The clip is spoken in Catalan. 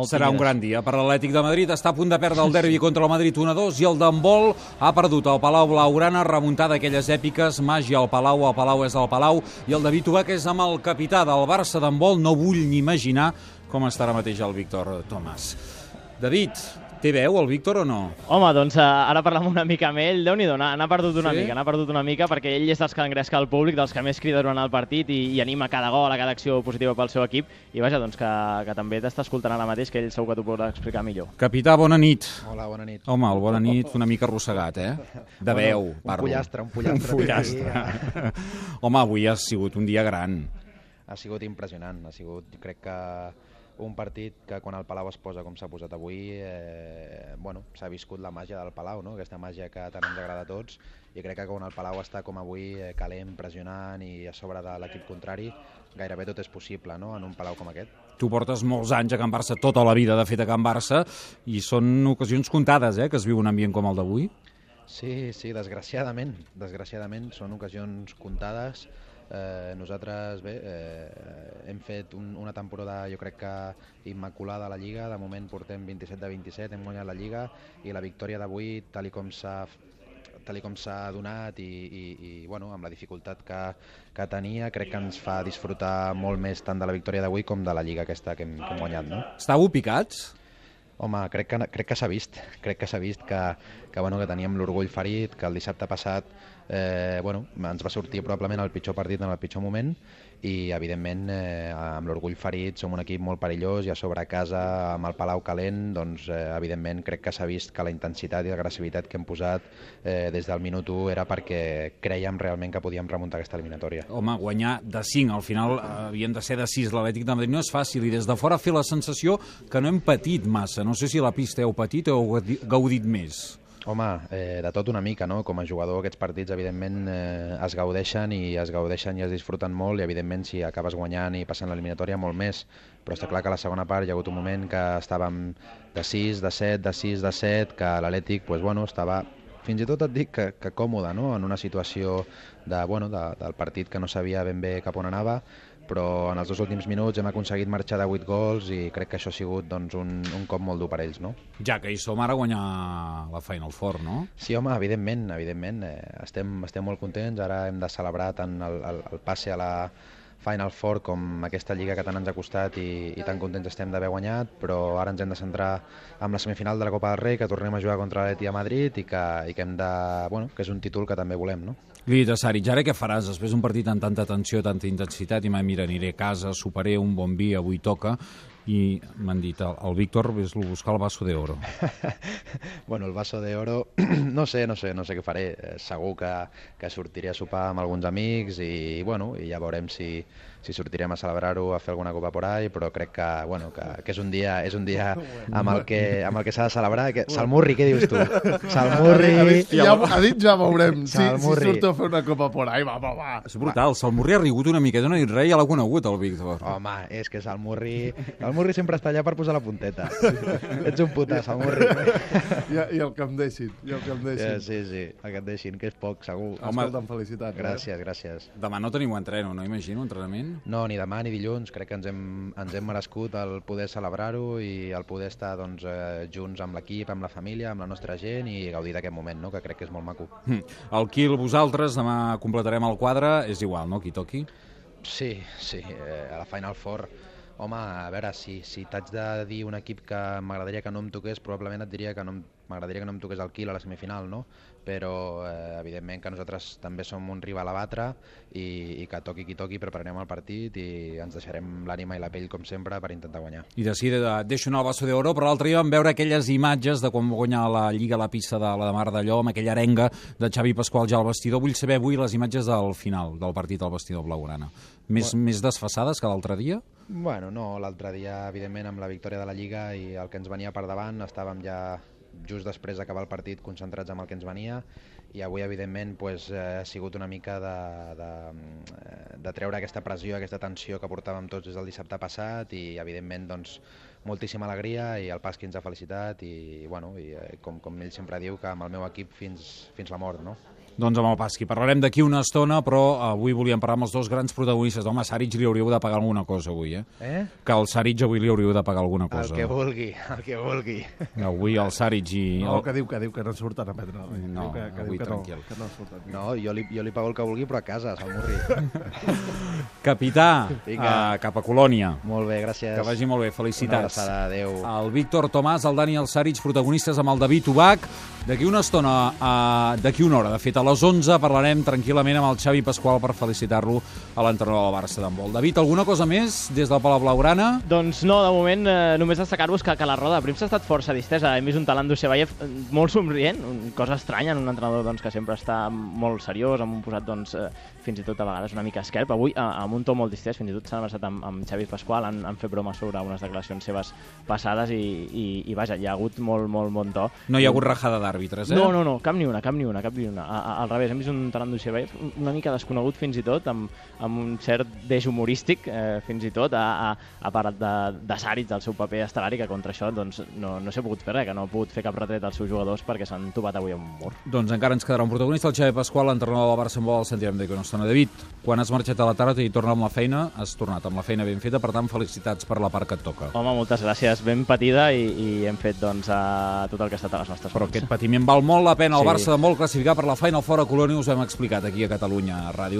Serà un gran dia per l'Atlètic de Madrid. Està a punt de perdre el derbi contra el Madrid 1-2 i el d'handbol ha perdut el Palau Blaugrana, remuntada d'aquelles èpiques, màgia al Palau és al Palau, i el David Ubach és amb el capità del Barça d'handbol. No vull ni imaginar com està ara mateix el Víctor Tomàs. David, té veu el Víctor o no? Home, doncs ara parlem una mica amb ell. Déu-n'hi-do, n'ha perdut una mica perquè ell és dels que engresca el públic, dels que més crida durant el partit i anima cada gol, a cada acció positiva pel seu equip. I vaja, doncs que també t'està escoltant ara mateix, que ell segur que t'ho podrà explicar millor. Capità, bona nit. Hola, bona nit. Home, el bona nit una mica arrossegat, De veu, parlo. Un pollastre. Home, avui ha sigut un dia gran. Ha sigut impressionant, crec que un partit que quan el Palau es posa com s'ha posat avui, s'ha viscut la màgia del Palau, no? Aquesta màgia que tant ens agrada a tots, i crec que quan el Palau està com avui, calent, pressionant i a sobre de l'equip contrari, gairebé tot és possible, no?, en un Palau com aquest. Tu portes molts anys a Can Barça, tota la vida, de fet, a Can Barça, i són ocasions comptades, que es viu un ambient com el d'avui? Sí, desgraciadament són ocasions comptades. Nosaltres hem fet una temporada, jo crec que immaculada a la Lliga. De moment portem 27 de 27, hem guanyat la Lliga, i la victòria d'avui, tal com s'ha donat i amb la dificultat que tenia, crec que ens fa disfrutar molt més tant de la victòria d'avui com de la Lliga aquesta que hem guanyat, no? Estàveu picats? Home, crec que s'ha vist, que teníem l'orgull ferit, que el dissabte passat ens va sortir probablement el pitjor partit en el pitjor moment, i evidentment amb l'orgull ferit som un equip molt perillós, i a sobre a casa amb el Palau calent, doncs evidentment crec que s'ha vist que la intensitat i l'agressivitat que hem posat des del minut 1 era perquè creiem realment que podíem remuntar aquesta eliminatòria. Home, guanyar de 5, al final havien de ser de 6 l'Atlètic de Madrid, no és fàcil, i des de fora fer la sensació que no hem patit massa. No sé si la pista heu patit o heu gaudit més. Home, de tot una mica, no? Com a jugador aquests partits evidentment es gaudeixen i es disfruten molt, i evidentment si acabes guanyant i passant l'eliminatòria molt més, però està clar que a la segona part hi ha hagut un moment que estàvem de 6, de 7, de 6, de 7, que l'Atlètic estava fins i tot et dic que còmode, no? En una situació del partit que no sabia ben bé cap on anava, però en els 2 últims minuts hem aconseguit marxar de 8 gols i crec que això ha sigut un cop molt dur per ells, no? Ja que hi som ara a guanyar la Final Four, no? Sí, home, evidentment. Estem molt contents, ara hem de celebrar tant el passe a la Final Four com aquesta Lliga que tant ens ha costat i tan contents estem d'haver guanyat, però ara ens hem de centrar en la semifinal de la Copa del Rei, que tornem a jugar contra l'Atlètic de Madrid i que és un títol que també volem, no? Li he dit a Saric, ara què faràs després d'un partit amb tanta tensió, tanta intensitat, i mira, aniré a casa, soparé un bon vi, avui toca, i m'han dit, el Víctor ves-lo a buscar el vaso de oro. El vaso de oro, no sé què faré. Segur que sortiré a sopar amb alguns amics i ja veurem si sortirem a celebrar-ho, a fer alguna copa por ahí, però crec que és un dia amb el que s'ha de celebrar. Salmurri, què dius tu? Salmurri... Ha dit ja veurem si surt a fer una copa por ahí, va. És brutal, Salmurri ha rigut una miqueta, no ha dit res, ja l'ha conegut el Víctor. Home, és que Salmurri sempre està allà per posar la punteta. Ets un puta, Salmurri. I el que em deixin. Sí, el que et deixin, que és poc, segur. Escolta'm, felicitats. Gràcies. Demà no teniu entreno, no imagino, entrenament? No, ni demà ni dilluns. Crec que ens hem merescut el poder celebrar-ho i el poder estar junts amb l'equip, amb la família, amb la nostra gent i gaudir d'aquest moment, no? Que crec que és molt maco. El Quil, vosaltres, demà completarem el quadre, és igual, no?, qui toqui? Sí, a la Final Four. Home, a veure, si t'haig de dir un equip que m'agradaria que no em toqués, probablement et diria que m'agradaria que no em toqués el Quil a la semifinal, no? Però evidentment que nosaltres també som un rival a batre i que toqui qui toqui, prepararem el partit i ens deixarem l'ànima i la pell com sempre per intentar guanyar. I de seguida deixo anar el vaso d'oro, però l'altre dia vam veure aquelles imatges de quan va guanyar la Lliga a la pista de la Mar d'Allò, amb aquella arenga de Xavi Pasqual ja al vestidor. Vull saber avui les imatges del final del partit al vestidor blaugrana. Més desfasades que l'altre dia? No, l'altre dia, evidentment, amb la victòria de la Lliga i el que ens venia per davant, estàvem ja just després d'acabar el partit concentrats amb el que ens venia, i avui, evidentment, ha sigut una mica de treure aquesta pressió, aquesta tensió que portàvem tots des del dissabte passat, i, evidentment, moltíssima alegria, i el Pasqui ens ha felicitat, i com ell sempre diu, que amb el meu equip fins la mort, no? Doncs amb el Pasqui. Parlarem d'aquí una estona, però avui volíem parlar amb els dos grans protagonistes. Home, Saric li hauríeu de pagar alguna cosa avui, Que al Saric avui li hauríeu de pagar alguna cosa. El que vulgui. Avui el Saric i... No, que diu que no surten a prendre. No, avui tranquil. No, jo li pago el que vulgui, però a casa, se'l morri. Capità, cap a Colònia. Molt bé, gràcies. Que vagi molt bé, felicitats. Una abraçada, adéu. El Víctor Tomàs, el Dani i el Saric, protagonistes amb el David Ubach. D'aquí una estona, d'aquí una hora, de fet, a les 11 parlarem tranquil·lament amb el Xavi Pasqual per felicitar-lo a l'entrenador del Barça d'handbol. David, alguna cosa més des del Palau Blaugrana? Doncs no, de moment només destacar-vos que la roda de premsa ha estat força distesa. Hem vist un Talant Dusebaev molt somrient, cosa estranya en un entrenador que sempre està molt seriós, amb un posat fins i tot a vegades una mica esquerp. Avui, amb un to molt distès, fins i tot s'han abraçat amb Xavi Pasqual, han fet broma sobre unes declaracions seves passades i vaja, hi ha hagut molt bon to. No hi ha hagut rajada d'àrbitres, No, cap ni una. Al revés, hem vist un Talant Dusebaev una mica desconegut fins i tot, amb un cert deix humorístic, fins i tot, a part de Saric, del seu paper estel·lar, que contra això no s'ha pogut fer res, que no ha pogut fer cap retret als seus jugadors perquè s'han topat avui amb un mur. Doncs encara ens quedarà un protagonista, el Xavi Pasqual, l'entrenador del Barça en vol, el sentirem d'aquí una estona. David, quan has marxat a la tarda i torna amb la feina, has tornat amb la feina ben feta, per tant, felicitats per la part que et toca. Home, moltes gràcies, ben patida i hem fet tot el que ha estat a les nostres mans. Però aquest patiment val molt la pena. El Barça de molt classificar per la Final Four a Colònia, us ho hem explicat aquí a Catalunya Ràdio.